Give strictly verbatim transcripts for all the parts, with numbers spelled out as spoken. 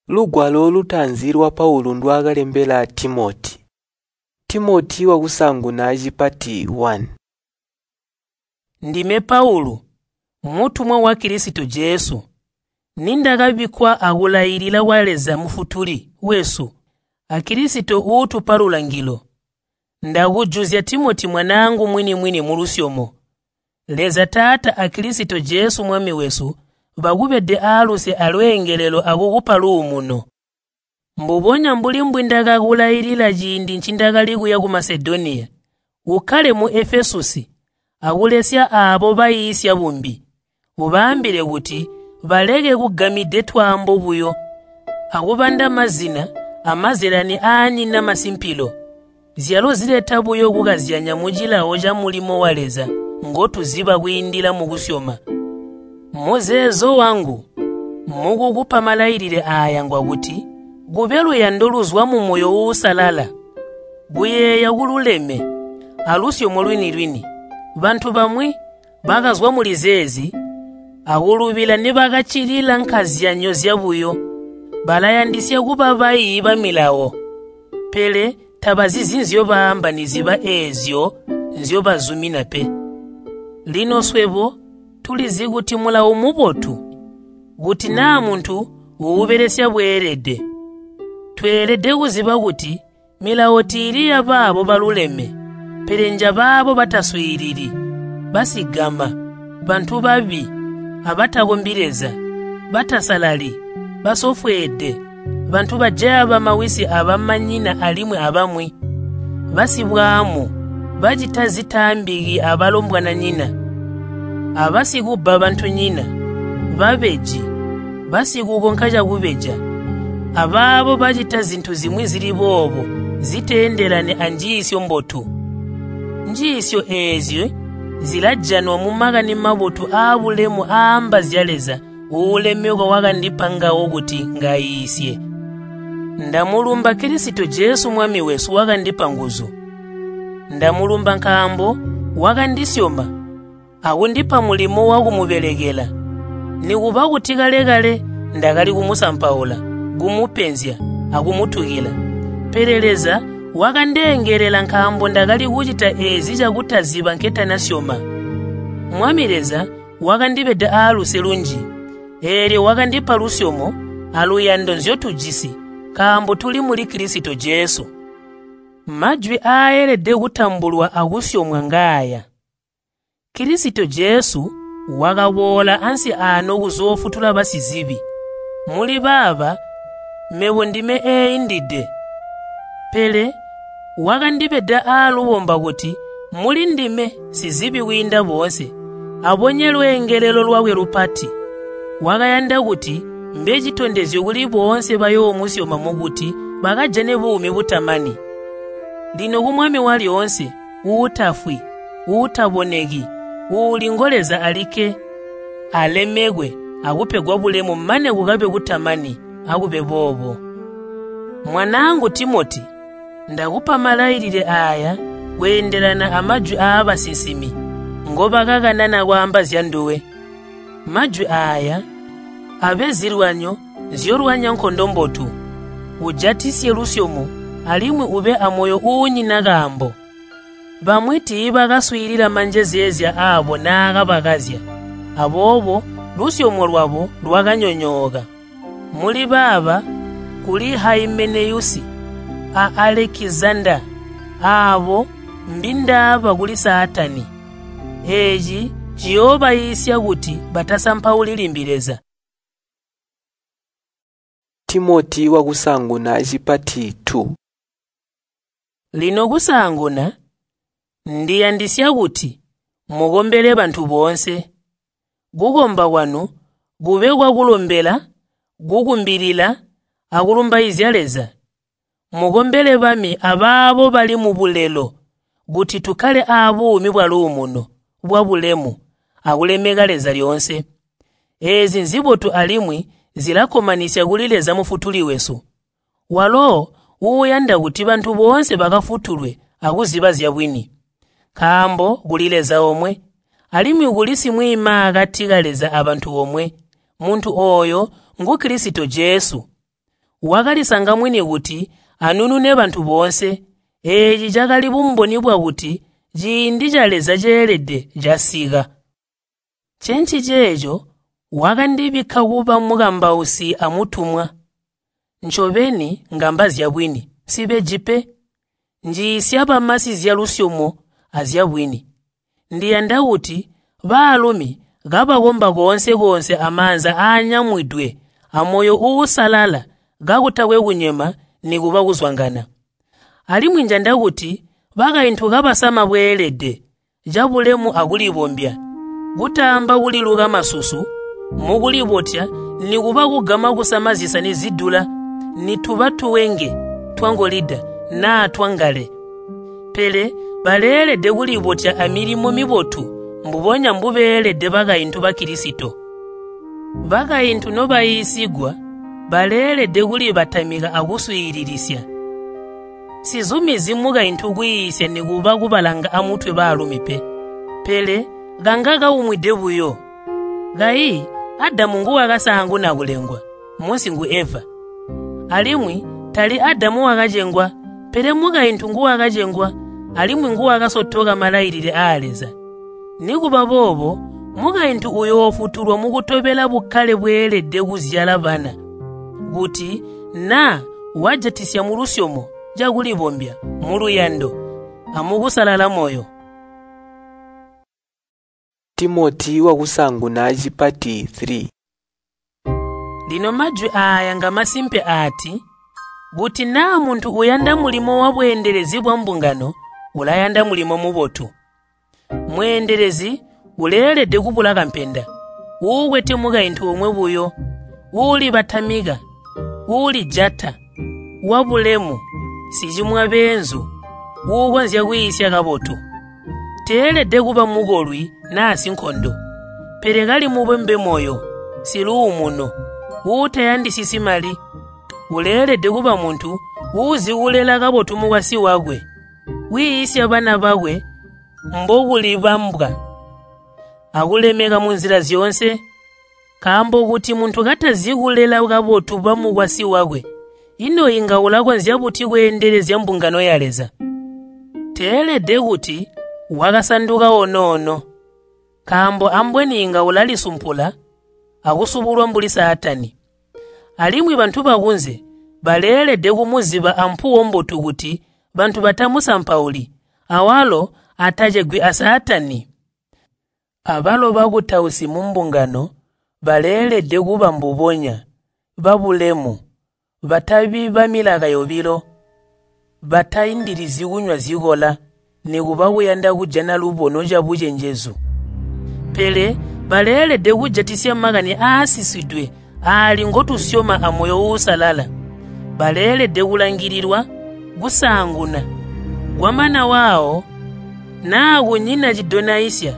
Lugwalo lutaanzi lwa Paulu ndwaakalembela Timoti. Timoti wakusaanguna cipati one. Ndime Paulu, mutumwa wa Kilisito Jesu. Nindakabikkwa akulailila kwa Leza Mufutuli wesu a Kilisito uutupa lulangilo. Ndakujuzya Timoti mwanaangu mwini-mwini mulusyomo. Leza Taata a Kilisito Jesu Mwami wesu bakubede aaluse alweengelelo akukupa luumuno. Mbubonya mbuli mbwindakakulailila ciindi ncindakali kuya ku Masedoniya, ukkale mu Efesusi akulesya aabo baiisya bumbi. Ubaambile kuti baleke kugamide twaambo buyo akubanda mazina amazyalani aanyina masimpilo, zyalo zileta buyo kukazyanya mucilawo camulimo wa Leza ngotuziba kwiindila mukusyoma. Muzeezo wangu mukukupa malailile aaya ngwakuti kube luyando luzwa mumoyo uusalala, kuyeeya kululeme, alusyomo lwini-lwini. Bantu bamwi bakazwa muli zeezi akulubila nibakaccilila nkazyanyo zyabuyo. Balayandisya kuba baiyi bamilawo, pele tabazizi nzyobaamba niziba eezyo nzyobazumina pe. Lino swebo tulizi kuti mulawo mubotu, kuti naa muntu uubelesya bweelede. Tweelede kuziba kuti milawo tiili yabaabo baluleme, pele njabaabo bataswiilili, basigama, bantu babi, abatakombi Leza, batasalali, basofweede, bantu bajaya bamawisi abamanyina alimwi abamwi, basibwaamu, bacita zitaambiki abalombwananyina, abasikubba bantunyina, babeji, basikukonka cakubeja, abaabo bacita zintu zimwi zili boobo ziteendelani anjiisyo mbotu. Njiisyo eezyo zilajanwa mu Makani Mabotu aabulemu aamba zya Leza uulemekwa wakandipa ngawo kuti ngaiisye. Ndamulumba Kilisito Jesu Mwami wesu wakandipa nguzu. Ndamulumba nkaambo wakandisyoma akundipa mulimo wakumubelekela. Nikuba kuti kale-kale ndakali kumusampaula, kumupenzya akumutukila, pele Leza wakandeengelela nkaambo ndakali kucita eezi cakutaziba nketanasyoma. Mwami Leza wakandibeda aaluse lunji, eelyo wakandipa lusyomo aluyando nzyotujisi nkaambo tuli muli Kilisito Jesu. Majwi aaelede kutambulwa akusyomwa ngaaya: Kilisito Jesu wakaboola ansi aano kuzoofutula basizibi. Muli baaba mebo ndime eeindide. Pele wakandibeda aalubomba kuti muli ndime sizibi kwiinda boonse, abonye lweengelelo lwakwe lupati. Wakayanda kuti mbe citondezyo kuli boonse bayoomusyoma mukuti bakajane buumi butamani. Lino ku Mwami walyoonse, uutafwi, uutaboneki, uuli ngo Leza alikke, alemekwe akupegwa bulemu mane kukabe kutamani, akube boobo. Mwanaangu Timoti, ndakupa malailile aaya kweendelana amajwi aabasinsimi ngobakakanana kwaamba zyanduwe. Majwi aaya abe zilwanyo nzyolwanya nkondo mbotu. Ujatisye lusyomo alimwi ube amoyo uunyina kaambo. Bamwi tiibakaswiilila manjezeezya aabo naakabakazya, aboobo lusyomo lwabo lwakanyonyooka. Muli baaba kuli Haimeneyusi a Alekizanda, aabo mbindaaba kuli Saatani. Eeci ciyoobayiisya kuti batasampauli limbi Leza. Timoti wakusaanguna cipati two. Lino kusaanguna, ndiyandisya kuti mukombele bantu boonse. Kukomba kwanu kube kwakulombela, kukumbilila, akulumbaizya Leza. Mukombele bami abaabo bali mubulelo kuti tukkale aabuumi bwaluumuno, bwabulemu, akulemeka Leza lyoonse. Eezi nzibotu alimwi zilakkomanisya kuli Leza Mufutuli wesu, walo uuyanda kuti bantu boonse bakafutulwe akuziba zyabwini. Nkaambo kuli Leza omwe, alimwi kuli simwiimaakati ka Leza abantu omwe, muntu ooyo ngu Kilisito Jesu. wakalisanga mwini kuti anunune bantu boonse. Eeci cakali bumboni bwakuti ciindi ca Leza ceelede casika. Ncenciceeco wakandibikka kuba mukambausi amutumwa. Ncobeni ngamba zyabwini, nsibeji pe. Njiisya bamasi zyalusyomo azyabwini. Ndiyanda kuti baalumi kabakomba koonse-koonse amaanza aanyamwidwe amoyo uusalala kakutakwe kunyema nikuba kuzwangana. Alimwi njanda kuti bakaintu kabasama bweelede, cabulemu akulibombya, kutaamba kuliluka masusu, mukulibotya nikuba kugama kusama zisani zidula, nituba tuwenge twangolida naa twangale. Pele baleelede kulibotya amilimo mibotu mbubonya mbubeelede bakaintu ba Kilisito. Bakaintu nobaiisigwa baleelede kulibatamika akuswiililisya. Sizumizi mukaintu kwiisya nikuba kubalanga amutwe baalumi pe, pele kanga kaumwide buyo. Kayi Adamu nguwakasaanguna kulengwa, munsi ngu Eva. Alimwi tali Adamu wakacengwa, pele mukaintu nguwakacengwa alimwi nguwakasotoka malailile aa Leza. Nikuba boobo, mukaintu uyoofutulwa mukutobela bukkale bweelede kuzyala bana, kuti naa wajatisya mulusyomo cakulibombya, muluyando amukusalala moyo. Timoti wakusaanguna cipati three. Lino majwi aaya ngamasimpe aati, kuti naa muntu uyanda mulimo wabweendelezi bwambungano, ulayanda mulimo mubotu. Mweendelezi uleelede kubula kampenda, uukwete mukaintu omwe buyo, uulibatamika, uulijata, wabulemu, sicimwa beenzu, uukonzya kwiisya kabotu. Teelede kuba mukolwi naa sinkondo, pele kali mubombe moyo, siluumuno, uutayandisisi mali. Uleelede kuba muntu uuzi kulela kabotu mukwasyi wakwe, wiisya bana bakwe mbokulibambwa akulemeka munzila zyoonse. Nkaambo kuti muntu katazi kulela kabotu bamukwasyi wakwe, ino inga ulakonzya buti kweendelezya mbungano ya Leza? Teelede kuti wakasanduka onoono, nkaambo ambweni inga ulalisumpula akusubulwa mbuli Saatani. Alimwi bantu bakunze baleelede kumuziba ampuwo mbotu kuti bantu batamusampauli, awalo atacegwi a Saatani. Abalo bakutausi mumbungano baleelede kuba mbubonya, babulemu, batabi bamilaka yobilo, bataindilizyi kunywa zikola nikuba kuyanda kujana lubono cabucenjezu. Pele baleelede kujatisya makani aasisidwe aali ngotusyoma amoyo uusalala. Baleelede kulangililwa kusaanguna, kwamana waawo naa kunyina cidonaisya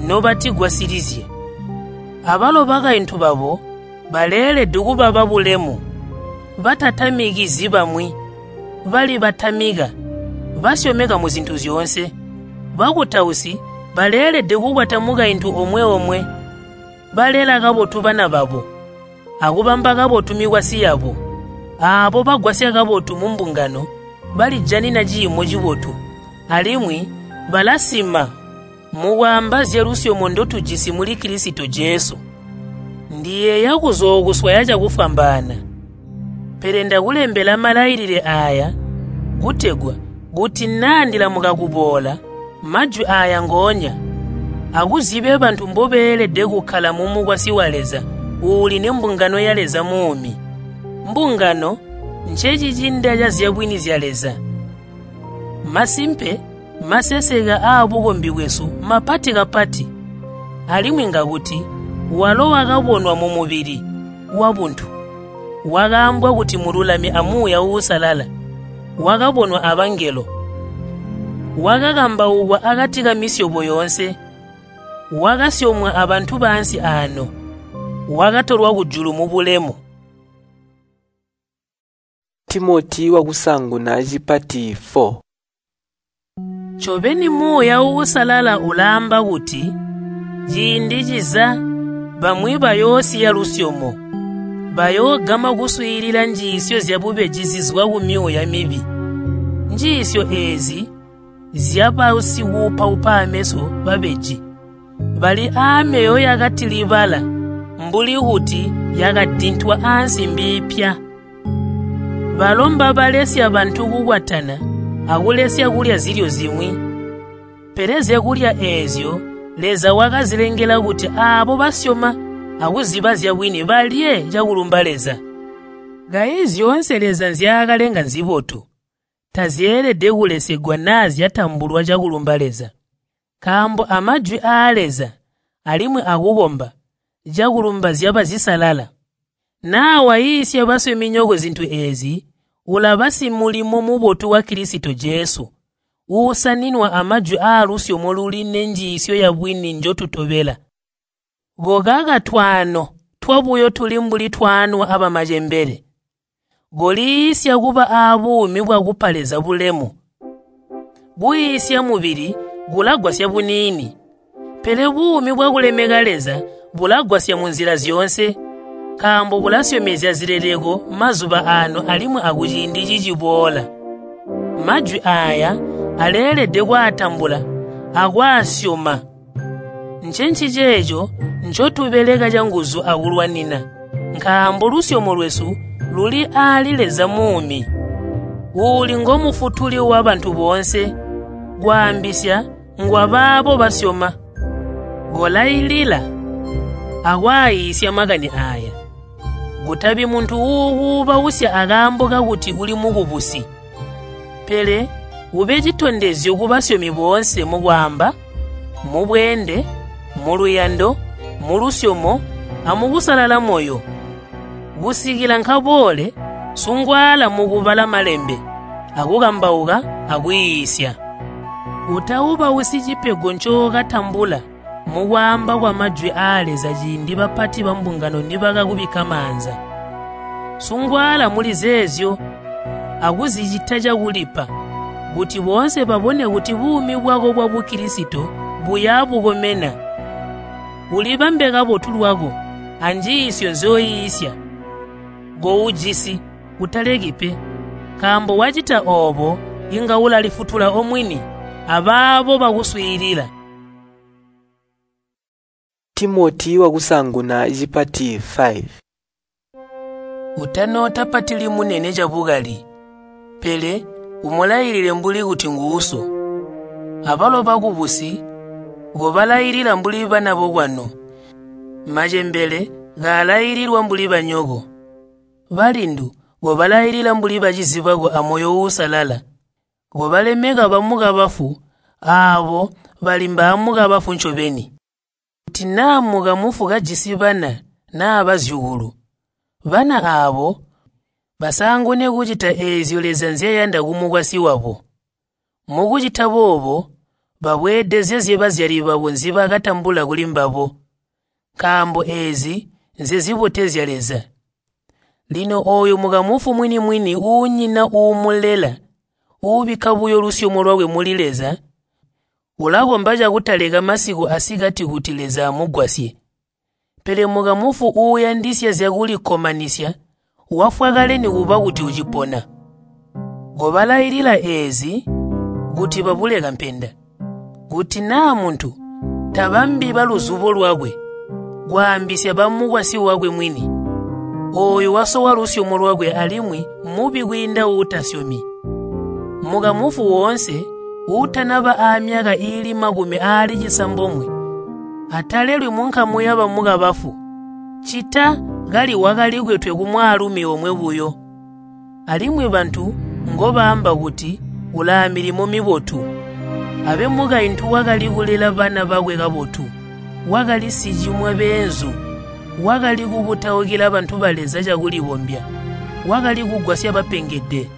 nobatigwasilizye. Abalo bakaintu babo baleelede kuba babulemu, batatamikizyi bamwi, balibatamika, basyomeka muzintu zyoonse. Bakutausi baleelede kukwata mukaintu omwe-omwe, balela kabotu bana babo, akubamba kabotu mikwasyi yabo. Aabo bagwasya kabotu mumbungano balijanina ciimo cibotu, alimwi balasima mukwaamba zyalusyomo ndotujisi muli Kilisito Jesu. Ndiyeeya kuzookuswaya cakufwambaana, pele ndakulembela malailile aaya kutegwa kuti naa ndilamuka kuboola, majwi aaya ngoonya akuzibe bantu mbobeelede kukkala mumukwasyi wa Leza uuli nembungano ya Leza muumi. Mbungano ncecicinda cazyabwini zya Leza. Masimpe, maseseka aabukombi bwesu mapati kapati, alimwi ngakuti walo wakabonwa mumubili wabuntu, wakaambwa kuti mululami amuuya uusalala, wakabonwa abangelo, wakakambaukwa akati kamisyobo yoonse, wakasyomwa abantu baansi aano, wakatolwa kujulu mubulemu. Timoti wakusaanguna cipati four. Ncobeni Muuya Uusalala ulaamba kuti ciindi ciza bamwi bayoosiya lusyomo, Bayoogama kuswiilila njiisyo zyabubeji zizwa kumyuuya mibi. Njiisyo eezi zyabasikuupaupa ameso babeji, bali aamyoyo yakatilibala mbuli kuti yakadintwa aansimbi ipya. Balomba balesya bantu kukwatana akulesya kulya zilyo zimwi. Pele zyakulya eezyo Leza wakazilengela kuti aabo basyoma akuziba zyabwini balye cakulumba Leza. Kayi zyoonse Leza nzyaakalenga nzibotu, tazyeelede kulesegwa naa zyatambulwa cakulumba Leza. Nkaambo amajwi aa Leza alimwi akukomba cakulumba zyaba zisalala. Naa waiisya basyominyoko zintu eezi, ulaba simulimo mubotu wa Kilisito Jesu, uusaninwa amajwi aalusyomo luli nenjiisyo yabwini njotutobela. Kokaka twaano twabuyo tuli mbuli twaanwa abamacembele. Koliisya kuba aabuumi bwakupa Leza bulemu. Kuiisya mubili kulagwasya buniini, pele buumi bwakulemeka Leza bulagwasya munzila zyoonse, nkaambo bulasyomezya zileleko mazuba aano alimwi akuciindi ciciboola. Majwi aaya aleelede kwaatambula akwaasyoma. Ncenciceeco ncotubeleka canguzu akulwanina, nkaambo lusyomo lwesu luli aali Leza muumi, uuli ngomufutuli wabantu boonse, kwaambisya ngwabaabo basyoma. Kolailila akwaaiisya makani aaya. Kutabi muntu uukuubausya akaambo kakuti uli mukubusi, pele ube citondezyo kubasyomi boonse mukwaamba, mubweende, muluyando, mulusyomo, amukusalala moyo. Kusikila nkaboole, sungwaala mukubala malembe, akukambauka akwiisya. Utaubausyi cipego ncookatambula mukwaamba kwamajwi aa Leza ciindi bapati bambungano nibakakubikka maanza. Sungwaala muli zeezyo akuzicita cakulipa, kuti boonse babone kuti buumi bwako bwa Bukilisito buya bukomena. Ulibambe kabotu lwako anjiisyo nzyoiisya. Koujisi, utaleki pe, nkaambo wacita oobo inga ulalifutula omwini abaabo bakuswiilila. Timoti wakusaanguna cipati five. Utanootapatili munene cabukali, pele umulailile mbuli kuti nguuso. Abalo bakubusi kobalailila mbuli bana bokwanu. Macembele kaalaililwa mbuli banyoko. Balindu kobalailila mbuli bacizi bako amoyo uusalala. Kobalemeka bamukabafu aabo bali mbaamukabafu ncobeni. Kuti naa mukamufu kajisi bana naa bazyukulu, bana aabo basaangune kucita eezyo Leza nzyayanda kumukwasyi wabo. Mukucita boobo babweedezezye bazyali babo nzibakatambula kulimbabo, nkaambo eezi nzezibotezya Leza. Lino ooyu mukamufu mwini-mwini uunyina uumulela, uubikka buyo lusyomo lwakwe muli Leza, ulakomba cakutaleka masiku asikati kuti Leza amugwasye. Pele mukamufu uuyandisya zyakulikkomanisya wafwa kale nikuba kuti ucipona. Kobalailila eezi kuti babule kampenda. Kuti naa muntu tabambi baluzubo lwakwe, kwaambisya bamukwasyi wakwe mwini, ooyu wasowa lusyomo lwakwe alimwi mubi kwiinda uutasyomi. Mukamufu woonse uutanaba aamyaka iili makumi aali cisambomwe atalelwi munkamu yabamukabafu, ccita kali wakalikwetwe kumwaalumi omwe buyo. Alimwi bantu ngobaamba kuti ulaamilimo mibotu, abe mukaintu wakali kulela bana bakwe kabotu, wakali sicimwa beenzu, wakali kukutaukila bantu ba Leza cakulibombya, wakali kugwasya bapengede,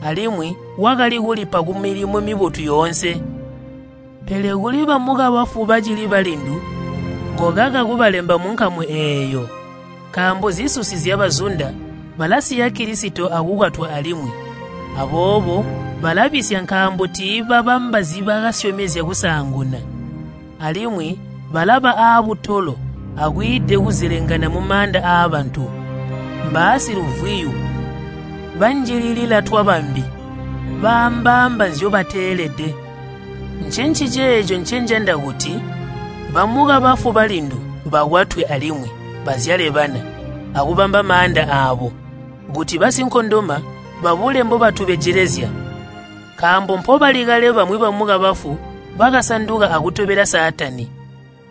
alimwi wakali kulipa kumilimo mibotu yoonse. Pele kuli bamukabafu bacili balindu, kokaka kubalemba munkamu eeyo, nkaambo zisusi zyabazunda balasiya Kilisito akukwatwa alimwi. Aboobo balabisya nkaambo tiibabamba zibakasyomezya kusaanguna. Alimwi balaba aabutolo akwiide kuzelengana mumaanda aabantu. mbaasiluvwiyu, banjililila twabambi, baambaamba nzyobateelede. Ncenciceeco ncenjanda kuti bamukabafu balindu bakwatwe alimwi bazyale bana akubamba maanda aabo, kuti basinkondoma babule mbobatubejelezya. Nkaambo mpobali kale bamwi bamukabafu bakasanduka akutobela Saatani.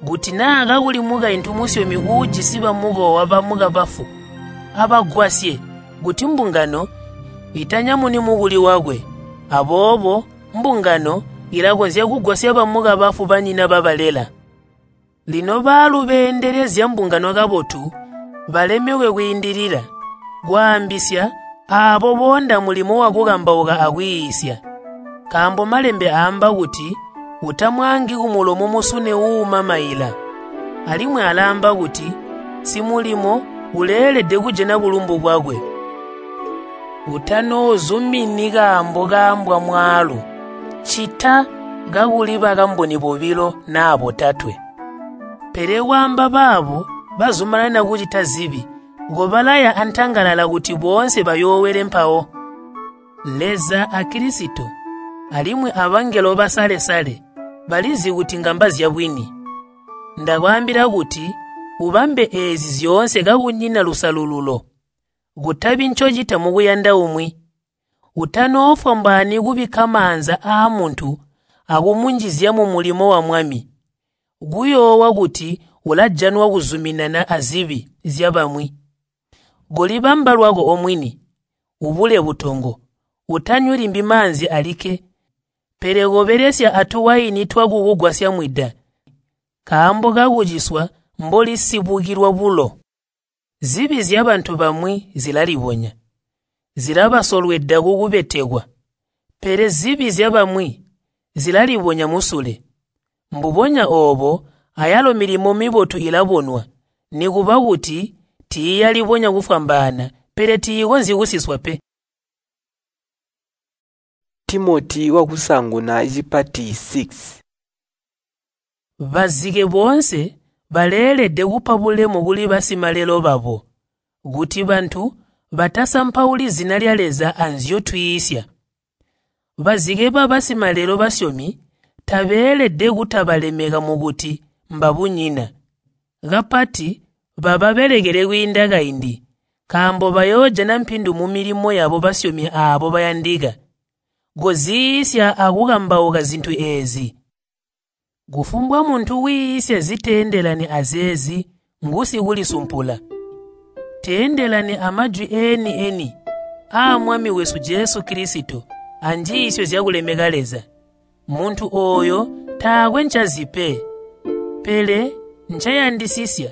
Kuti naa kakuli mukaintu musyomi uujisi bamukowa bamukabafu, abagwasye kuti mbungano itanyamuni mukuli wakwe. Aboobo mbungano ilakonzya kugwasya bamukabafu banyina babalela. Lino baalu beendelezya mbungano kabotu balemekwe kwiindilila, kwaambisya aabo boonda mulimo wakukambauka akwiisya. Nkaambo Malembe aamba kuti, “Utamwaangi kumulomo musune uuma maila.” Alimwi alaamba kuti, “Simulimo uleelede kujana bulumbu bwakwe.” Utanoozumini kaambo kaambwa mwaalu, ccita kakuli bakamboni bobilo naa botatwe. Pele kwaamba baabo bazumanana kucita zibi, kobalaya antangalala kuti boonse bayoowele mpawo. Leza a Kilisito alimwi abangelo basale-sale balizi kuti ngamba zyabwini. Ndakwaambila kuti ubambe eezi zyoonse kakunyina lusalululo, kutabi ncocita mukuyanda umwi. Utanoofwambaani kubikka maanza aamuntu akumunjizya mumulimo wa Mwami, kuyoowa kuti ulajanwa kuzuminana azibi zyabamwi. Kolibamba lwako omwini, ubule butongo, utanywi limbi maanzi alikke, pele kobelesya atuwaini twakukugwasya mwida, nkaambo kakuciswa mbolisibukilwa bulo. Zibi zyabantu bamwi zilalibonya, zilabasolweda kukubetekwa, pele zibi zyabamwi zilalibonya musule. Mbubonya oobo ayalo milimo mibotu ilabonwa, nikuba kuti tiiyalibonya kufwambaana, pele tiikonzyi kusiswa pe. Timoti wakusaanguna cipati six. Bazike boonse baleelede kupa bulemu kuli basimalelo babo, kuti bantu batasampauli zina lya Leza anzyotwiisya. Bazike babasimalelo basyomi tabeelede kutabalemeka mukuti mbabunyina, kapati bababelekele kwiinda kaindi, nkaambo bayoojana mpindu mumilimo yabo basyomi aabo bayandika. Koziisya akukambauka zintu eezi. Kufumbwa muntu wiisya ziteendelani azeezi ngusikulisumpula. Teendelani amajwi eeni-eni aa Mwami wesu Jesu Kilisito anjiisyo zyakulemeka Leza. Muntu ooyo taakwe ncazi pe, pele ncayandisisya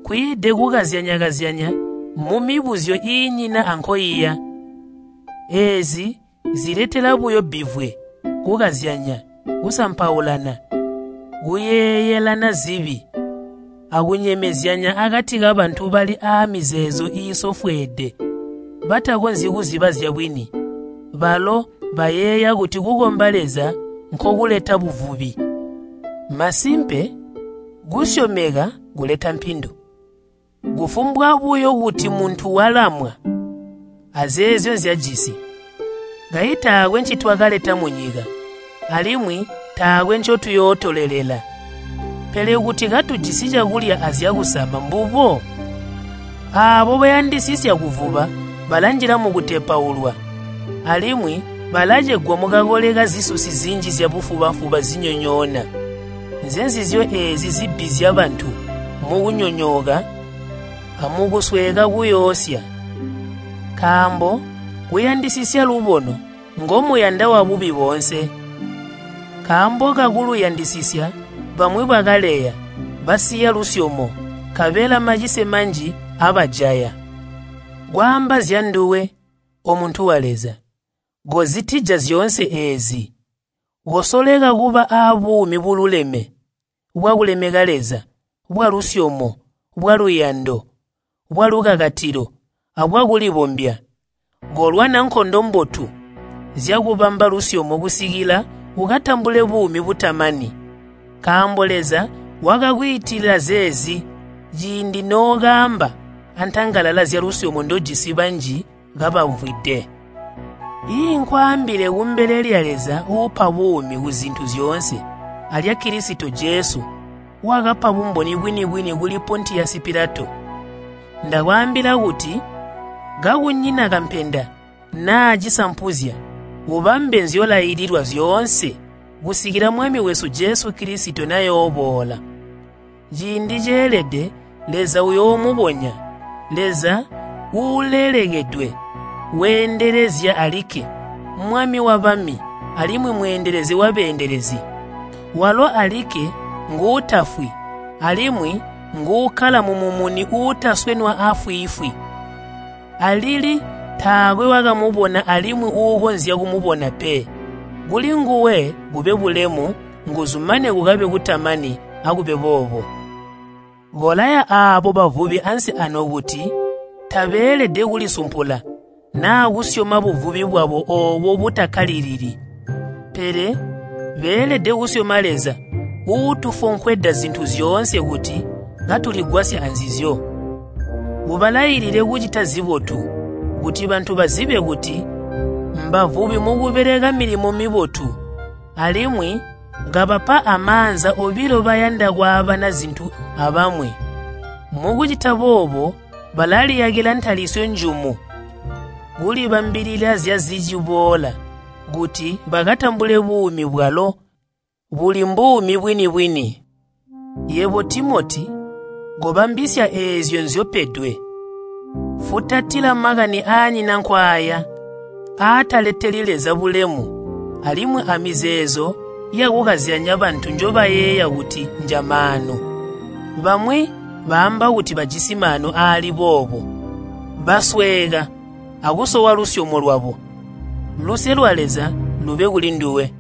kwiide kukazyanya-kazyanya mumibuzyo iinyina ankoiya. Eezi ziletela buyo bbivwe, kukazyanya, kusampaulana, kuyeeyelana zibi, akunyemezyanya akati kabantu bali aamizeezo iisofweede, batakonzyi kuziba zyabwini. Balo bayeeya kuti kukomba Leza nkokuleta buvubi. Masimpe, kusyomeka kuleta mpindu. Kufumbwa buyo kuti muntu walamwa azeezyo nzyajisi. Kayi taakwe ncitwakaleta munyika, alimwi taakwe ncotuyootolelela. Pele kuti katujisi cakulya azyakusama mbubo. Aabo bayandisisya kuvuba balanjila mukutepaulwa, alimwi balacegwa mukakole kazisusi zinji zyabufuba-fuba zinyonyoona. Nzenzizyo eezi zibbizya bantu mukunyonyooka amukusweeka kuyoosya. Nkaambo kuyandisisya lubono ngomuyanda wabubi boonse. Nkaambo kakuluyandisisya bamwi bakaleya, basiya lusyomo, nkabela macise manji abajaya. Kwaamba zyanduwe, omuntu wa Leza, kozitija zyoonse eezi. Kosoleka kuba aabuumi bululeme, bwakulemeka Leza, bwalusyomo, bwaluyando, bwalukakatilo, abwakulibombya. Kolwana nkondo mbotu zyakubamba lusyomo kusikila ukatambule buumi butamani. Nkaambo Leza wakakwiitila zeezi ciindi nookaamba antangalala zyalusyomo ndojisi banji kabamvwide. Iinkwaambile kumbele lya Leza uupa buumi kuzintu zyoonse alya Kilisito Jesu wakapa bumboni bwini-bwini kuli Pontiyasi Pilato. Ndakwaambila kuti kakunyina kampenda naa cisampuzya, ubambe nzyolaililwa zyoonse kusikila Mwami wesu Jesu Kilisito nayooboola. Ciindi ceelede Leza uyoomubonya, Leza uulelekedwe, weendelezya alikke, Mwami wabami alimwi mweendelezi wabeendelezi. Walo alikke nguutafwi alimwi nguukkala mumumuni uutaswenwa aafwiifwi. Alili taakwe wakamubona alimwi uukonzya kumubona pe. Kulinguwe kube bulemu, nguzu mane kukabe kutamani akube boobo. Kolaya aabo bavubi ansi ano kuti tabeelede kulisumpula naa kusyoma buvubi bwabo oobo butakkalilili. Pele beelede kusyoma Leza uutufonkweda zintu zyoonse kuti katuligwasya anzizyo. Ubalailile kucita zibotu, kuti bantu bazibe kuti mbavubi mukubeleka milimo mibotu, alimwi kabapa amaanza obilo bayanda kwaabana zintu abamwi. Mukucita boobo balaliyakila ntalisyo njumu, kulibambilila zyaziciboola kuti bakatambule buumi bwalo buli mbuumi bwini-bwini. Yebo Timoti, kobambisya eezyo nzyopedwe. Futatila makani aanyina nkwaaya, aataleteli Leza bulemu, alimwi amizeezo yakukazyanya bantu njobayeeya kuti njamaanu. Bamwi baamba kuti bajisi maanu aali boobo, basweeka akusowa lusyomo lwabo. Luse lwa Leza lube kulinduwe.